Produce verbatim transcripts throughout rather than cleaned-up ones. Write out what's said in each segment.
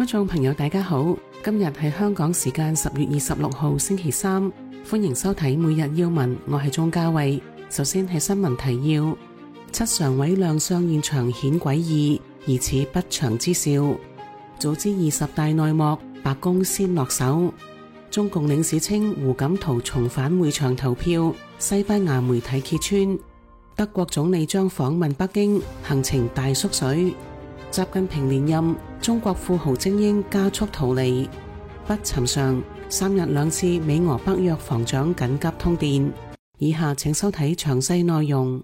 觀眾朋友大家好，今日係香港時間十月二十六號星期三，歡迎收睇每日要聞，我係鍾嘉慧。首先係新聞提要：七常委亮相現場顯詭異，疑似不祥之兆。早知二十大內幕，白宮先落手。中共領事稱胡錦濤重返會場投票，西班牙媒體揭穿。德國總理將訪問北京，行程大縮水。習近平連任，中國富豪精英加速逃離。不尋常，三日兩次美俄北約防長緊急通電。以下請收睇詳細內容。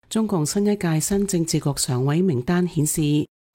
中共新一屆新政治局常委名單顯示，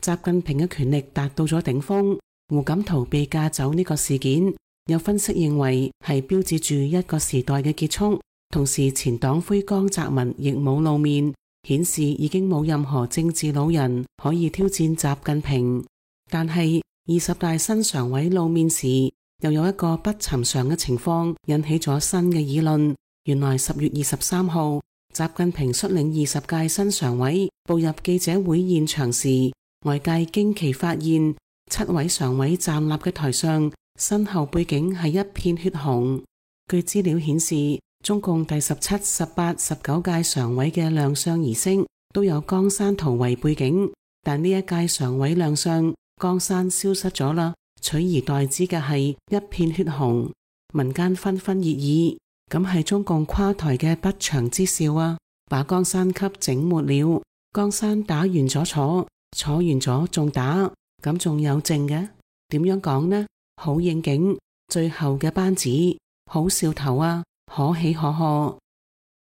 習近平嘅權力達到咗頂峰。胡錦濤被架走呢個事件，有分析認為係標誌住一個時代嘅結束。同時，前黨魁江澤民亦冇露面，顯示已經冇任何政治老人可以挑戰習近平。但係二十大新常委露面時，又有一個不尋常嘅情況引起咗新嘅議論。原來十月二十三號，習近平率領二十屆新常委步入記者會現場時，外界驚奇發現七位常委站立嘅台上，身後背景係一片血紅。據資料顯示，中共第十七、十八、十九屆常委嘅亮相儀式都有江山圖為背景，但呢一屆常委亮相，江山消失咗啦，取而代之嘅係一片血紅。民間紛紛熱議，咁係中共垮台嘅不祥之兆啊！把江山給整沒了，江山打完咗坐，坐完咗仲打，咁仲有剩嘅？點樣講呢？好應景，最後嘅班子好兆頭啊！可喜可賀，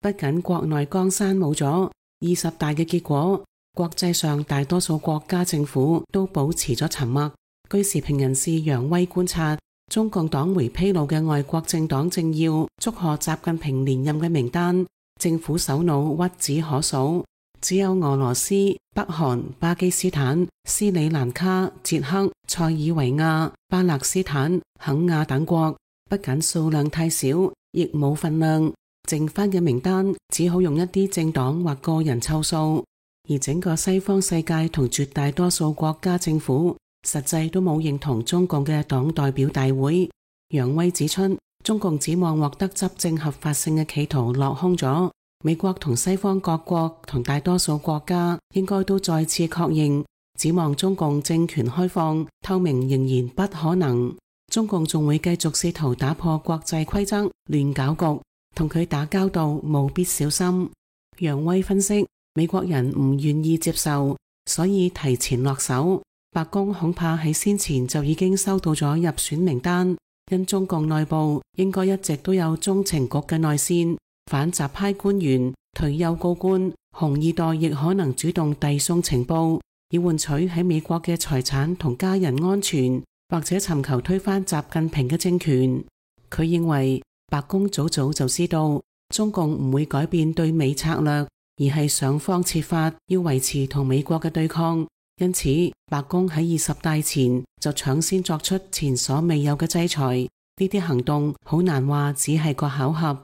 不僅國內江山冇咗，二十大嘅結果，國際上大多數國家政府都保持咗沉默。據時評人士楊威觀察，中共黨媒披露嘅外國政黨政要祝賀習近平連任嘅名單，政府首腦屈指可數，只有俄羅斯、北韓、巴基斯坦、斯里蘭卡、捷克、塞爾維亞、巴勒斯坦、肯亞等國，不僅數量太少，亦冇份量，剩翻嘅名單只好用一啲政黨或個人湊數，而整個西方世界同絕大多數國家政府實際都冇認同中共嘅黨代表大會。楊威指出，中共指望獲得執政合法性嘅企圖落空咗，美國同西方各國同大多數國家應該都再次確認，指望中共政權開放透明仍然不可能。中共仲會繼續試圖打破國際規則，亂搞局，同佢打交道務必小心。楊威分析，美國人唔願意接受，所以提前落手。白宮恐怕喺先前就已經收到咗入選名單，因中共內部應該一直都有中情局嘅內線，反習派官員、退休高官、紅二代亦可能主動遞送情報，以換取喺美國嘅財產同家人安全，或者尋求推翻習近平嘅政權。佢認為白宮早早就知道中共唔會改變對美策略，而係想方設法要維持同美國嘅對抗。因此，白宮喺二十大前就搶先作出前所未有嘅制裁。呢啲行動好難話只係個巧合。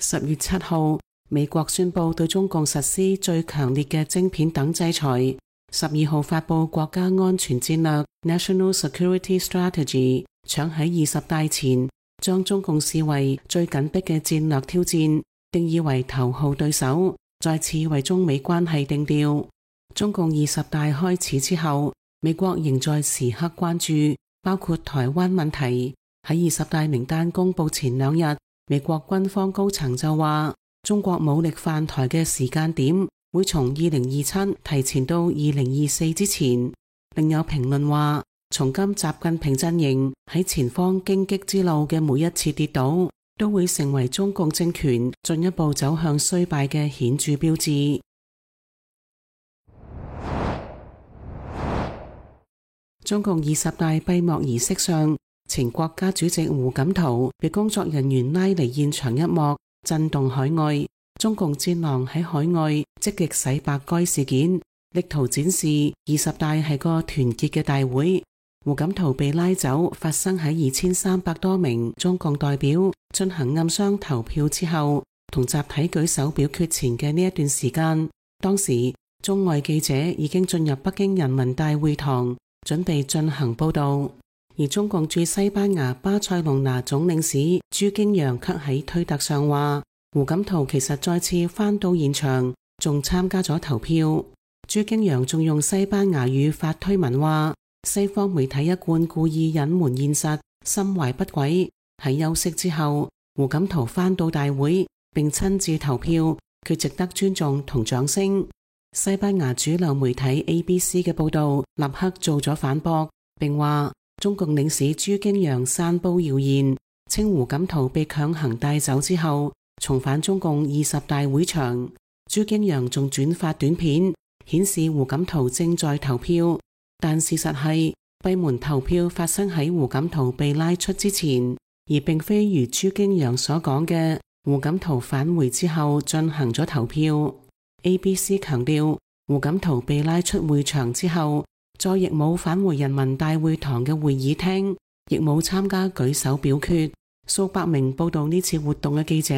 十月七號，美國宣布對中共實施最強烈嘅晶片等制裁。十二號發佈國家安全戰略 National Security Strategy， 搶喺二十大前將中共視為最緊迫嘅戰略挑戰，定義為頭號對手，再次為中美關係定調。中共二十大開始之後，美國仍在時刻關注，包括台灣問題。喺二十大名單公布前兩日，美國軍方高層就話，中國武力犯台嘅時間點會從二零二七提前到二零二四之前。另有評論話，從今習近平陣營喺前方荊棘之路嘅每一次跌倒，都會成為中共政權進一步走向衰敗嘅顯著標誌。中共二十大閉幕儀式上，前國家主席胡錦濤被工作人員拉離現場一幕，震動海外。中共戰狼喺海外積極洗白該事件，力圖展示二十大係個團結嘅大會。胡錦濤被拉走發生喺二千三百多名中共代表進行暗箱投票之後，同集體舉手表決前嘅呢一段時間，當時中外記者已經進入北京人民大會堂，準備進行報道。而中共駐西班牙巴塞隆拿總領事朱京陽卻喺推特上話，胡錦濤其實再次返到現場，仲參加咗投票。朱京陽仲用西班牙語發推文話，西方媒體一貫故意隱瞞現實，心懷不軌。喺休息之後，胡錦濤返到大會並親自投票，佢值得尊重同掌聲。西班牙主流媒體 A B C 嘅報道立刻做咗反駁，並話中共領事朱京陽散布謠言，稱胡錦濤被強行帶走之後重返中共二十大會場。朱京陽仲轉發短片，顯示胡錦濤正在投票，但事實係閉門投票發生喺胡錦濤被拉出之前，而並非如朱京陽所講嘅胡錦濤返回之後進行咗投票。A B C 強調，胡錦濤被拉出會場之後，再亦冇返回人民大會堂嘅會議廳，亦冇參加舉手表決。數百名報道呢次活動嘅記者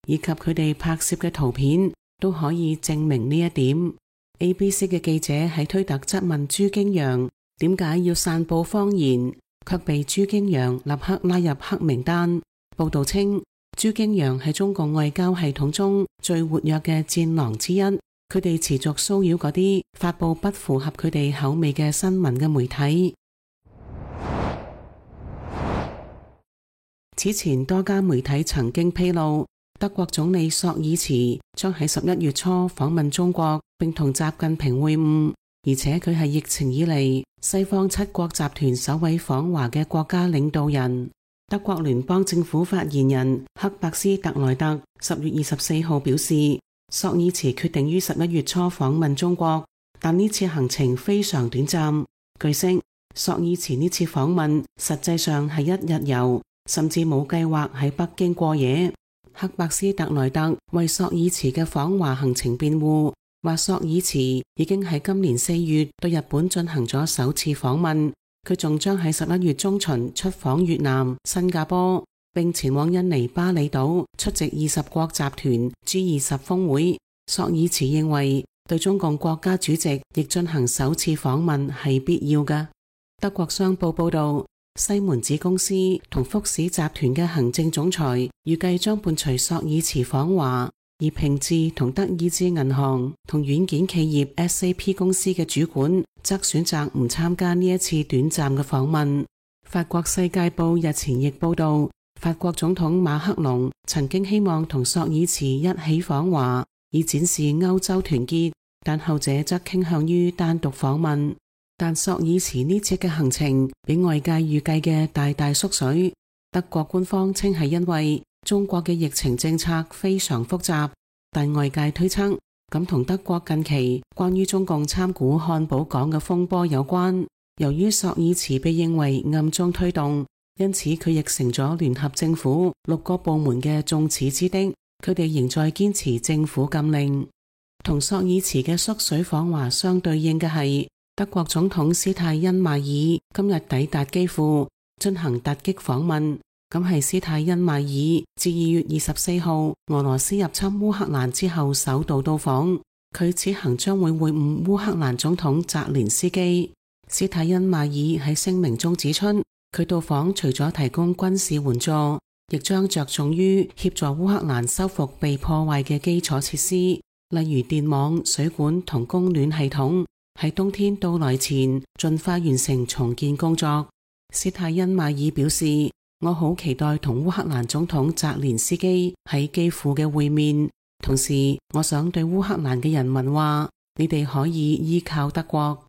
以及佢哋拍攝嘅圖片都可以證明呢一點。A B C 嘅記者喺推特質問朱京陽點解要散布謊言，卻被朱京陽立刻拉入黑名單。報道稱，朱京陽係中共外交系統中最活躍嘅戰狼之一，佢哋持續騷擾嗰啲發佈不符合佢哋口味嘅新聞嘅媒體。此前多家媒體曾經披露，德國總理朔爾茨將喺十一月初訪問中國，並同習近平會晤，而且佢係疫情以嚟西方七國集團首位訪華嘅國家領導人。德國聯邦政府發言人克伯斯特萊特十月二十四號表示，朔爾茨決定於十一月初訪問中國，但呢次行程非常短暫。據悉，朔爾茨呢次訪問實際上係一日遊，甚至冇計劃喺北京過夜。克伯斯特萊特為朔爾茨嘅訪華行程辯護，話朔爾茨已經喺今年四月對日本進行咗首次訪問。佢仲將喺十一月中旬出訪越南、新加坡，並前往印尼巴厘島出席二十國集團 G 二十峰會。朔爾茨認為對中共國家主席亦進行首次訪問係必要嘅。德國商報報道，西門子公司同福士集團嘅行政總裁預計將伴隨朔爾茨訪華，而平治同德意志銀行同軟件企業 S A P 公司嘅主管則選擇唔參加呢一次短暫嘅訪問。法國世界報日前亦報道，法國總統馬克龍曾經希望同朔爾茨一起訪華，以展示歐洲團結，但後者則傾向於單獨訪問。但朔爾茨呢次嘅行程比外界預計嘅大大縮水。德國官方稱係因為中國嘅疫情政策非常複雜，但外界推測咁同德國近期關於中共參股漢堡港嘅風波有關。由於朔爾茨被認為暗中推動，因此佢亦成咗聯合政府六個部門嘅眾矢之的，佢哋仍在堅持政府禁令。同朔爾茨嘅縮水訪華相對應嘅係，德國總統施泰因邁爾今日抵達基輔進行突擊訪問。咁係施泰因邁爾自二月二十四號俄羅斯入侵烏克蘭之後首度到訪，佢此行將會會晤烏克蘭總統澤連斯基。施泰因邁爾喺聲明中指出，佢到訪除咗提供軍事援助，亦將着重於協助烏克蘭修復被破壞嘅基礎設施，例如電網、水管同供暖系統，喺冬天到來前盡快完成重建工作。施泰因邁爾表示，我好期待同烏克蘭總統澤連斯基喺基輔嘅會面，同時我想對烏克蘭嘅人民話，你哋可以依靠德國。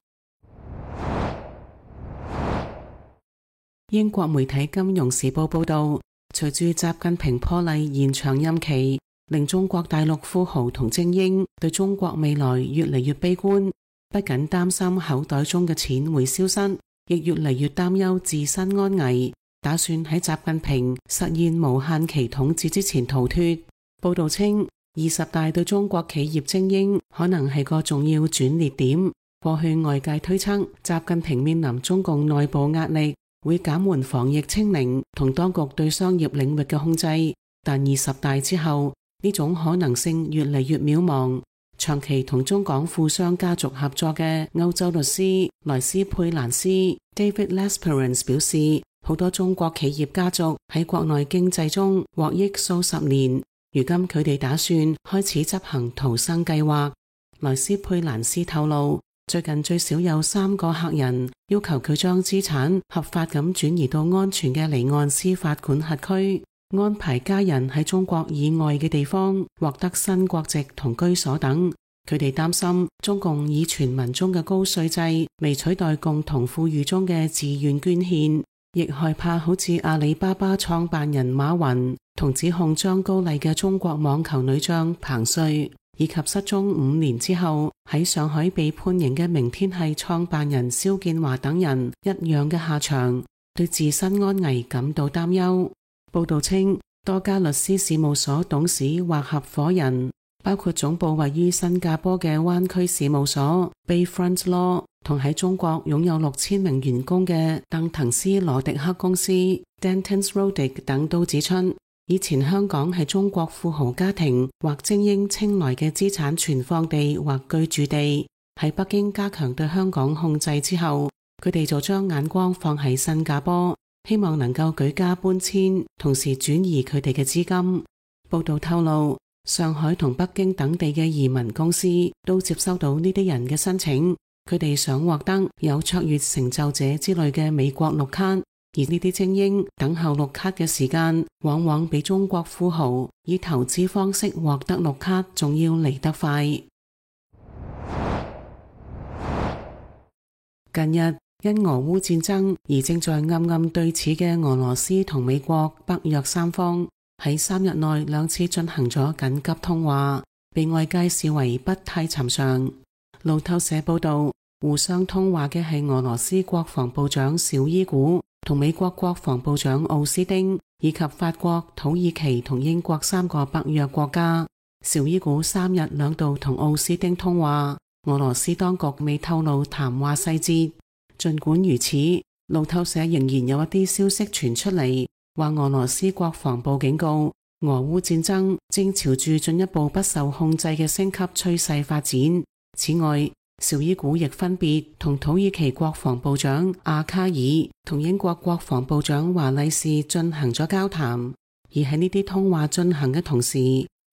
英國媒體《金融時報》報道，隨住習近平破例延長任期，令中國大陸富豪同精英對中國未來越嚟越悲觀，不僅擔心口袋中嘅錢會消失，亦越嚟越擔憂自身安危，打算喺習近平實現無限期統治之前逃脫。報道稱，二十大對中國企業精英可能係個重要轉捩點。過去外界推測，習近平面臨中共內部壓力，會減緩防疫清零同當局對商業領域嘅控制，但二十大之後，呢種可能性越嚟越渺茫。長期同中港富商家族合作嘅歐洲律師萊斯佩蘭斯 David Lesperance 表示，好多中國企業家族喺國內經濟中獲益數十年，如今佢哋打算開始執行逃生計劃。萊斯佩蘭斯透露，最近最少有三個客人要求佢將資產合法咁轉移到安全嘅離岸司法管轄區，安排家人喺中國以外嘅地方獲得新國籍同居所等。佢哋擔心中共以全民中嘅高稅制嚟取代共同富裕中嘅自願捐獻，亦害怕好似阿里巴巴創辦人馬雲同指控張高麗嘅中國網球女將彭帥，以及失蹤五年之後喺上海被判刑嘅明天系創辦人肖建華等人一樣嘅下場，對自身安危感到擔憂。報道稱，多家律師事務所董事或合夥人，包括總部位於新加坡嘅灣區事務所 Bayfront Law， 同喺中國擁有六千名員工嘅鄧騰斯羅迪克公司 Dentons Rodig 等都指出，以前香港係中國富豪家庭或精英青睞嘅資產存放地或居住地。喺北京加強對香港控制之後，佢哋就將眼光放喺新加坡，希望能夠舉家搬遷，同時轉移佢哋嘅資金。報道透露，上海同北京等地嘅移民公司都接收到呢啲人嘅申請，佢哋想獲得有卓越成就者之類嘅美國綠卡。而呢啲精英等候綠卡嘅時間，往往比中國富豪以投資方式獲得綠卡仲要嚟得快。近日因俄烏戰爭而正在暗暗對峙嘅俄羅斯同美國、北約三方喺三日內兩次進行咗緊急通話，被外界視為不太尋常。路透社報道，互相通話嘅係俄羅斯國防部長紹伊古同美國國防部長奧斯丁，以及法國、土耳其同英國三個北約國家。紹伊古三日兩度同奧斯丁通話，俄羅斯當局未透露談話細節。儘管如此，路透社仍然有一啲消息傳出嚟，話俄羅斯國防部警告，俄烏戰爭正朝住進一步不受控制嘅升級趨勢發展。此外，紹伊古亦分別同土耳其國防部長阿卡爾同英國國防部長華麗士進行咗交談。而喺呢啲通話進行嘅同時，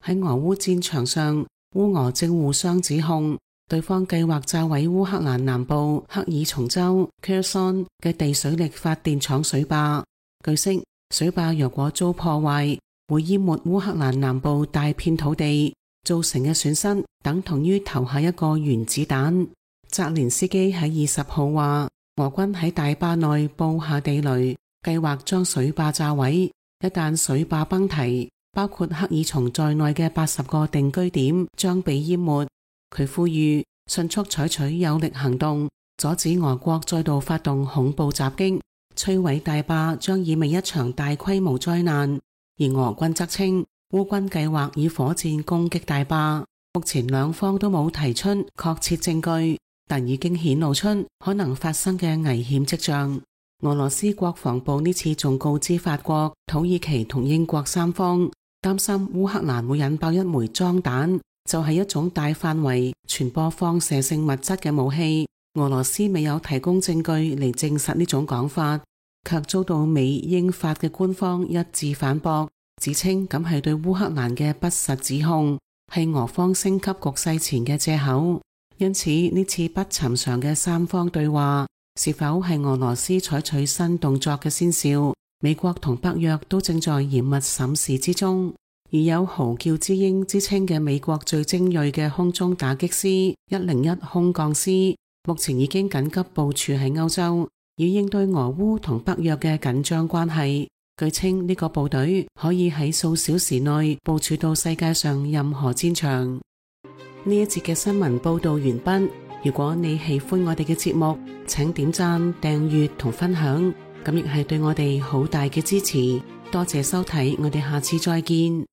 喺俄烏戰場上，烏俄正互相指控對方計劃炸毀烏克蘭南部克爾松州 Kherson 嘅地水力發電廠水壩。據悉，水壩若果遭破壞，會淹沒烏克蘭南部大片土地，造成嘅損失等同於投下一個原子彈。澤連斯基喺二十號話，俄軍喺大壩內布下地雷，計劃將水壩炸毀。一旦水壩崩堤，包括克爾松在內嘅八十個定居點將被淹沒。佢呼籲迅速採取有力行動，阻止俄國再度發動恐怖襲擊。摧毀大壩將意味一場大規模災難。而俄軍則稱，烏軍計劃以火箭攻擊大壩。目前兩方都冇提出確切證據，但已經顯露出可能發生嘅危險跡象。俄羅斯國防部呢次仲告知法國、土耳其同英國三方，擔心烏克蘭會引爆一枚裝彈，就係一種大範圍傳播放射性物質嘅武器。俄羅斯未有提供證據嚟證實呢種講法，卻遭到美、英、法嘅官方一致反駁，指稱咁係對烏克蘭嘅不實指控，係俄方升級局勢前嘅借口。因此呢次不尋常嘅三方對話，是否係俄羅斯採取新動作嘅先兆，美國同北約都正在嚴密審視之中。而有嚎叫之鷹之稱嘅美國最精銳嘅空中打擊師一零一空降師，目前已經緊急部署喺歐洲，以應對俄烏同北約嘅緊張關係。據稱呢個部隊可以喺數小時內部署到世界上任何戰場。呢一節嘅新聞報道完畢。如果你喜歡我哋嘅節目，請點讚、訂閱同分享，咁亦係對我哋好大嘅支持。多謝收睇，我哋下次再見。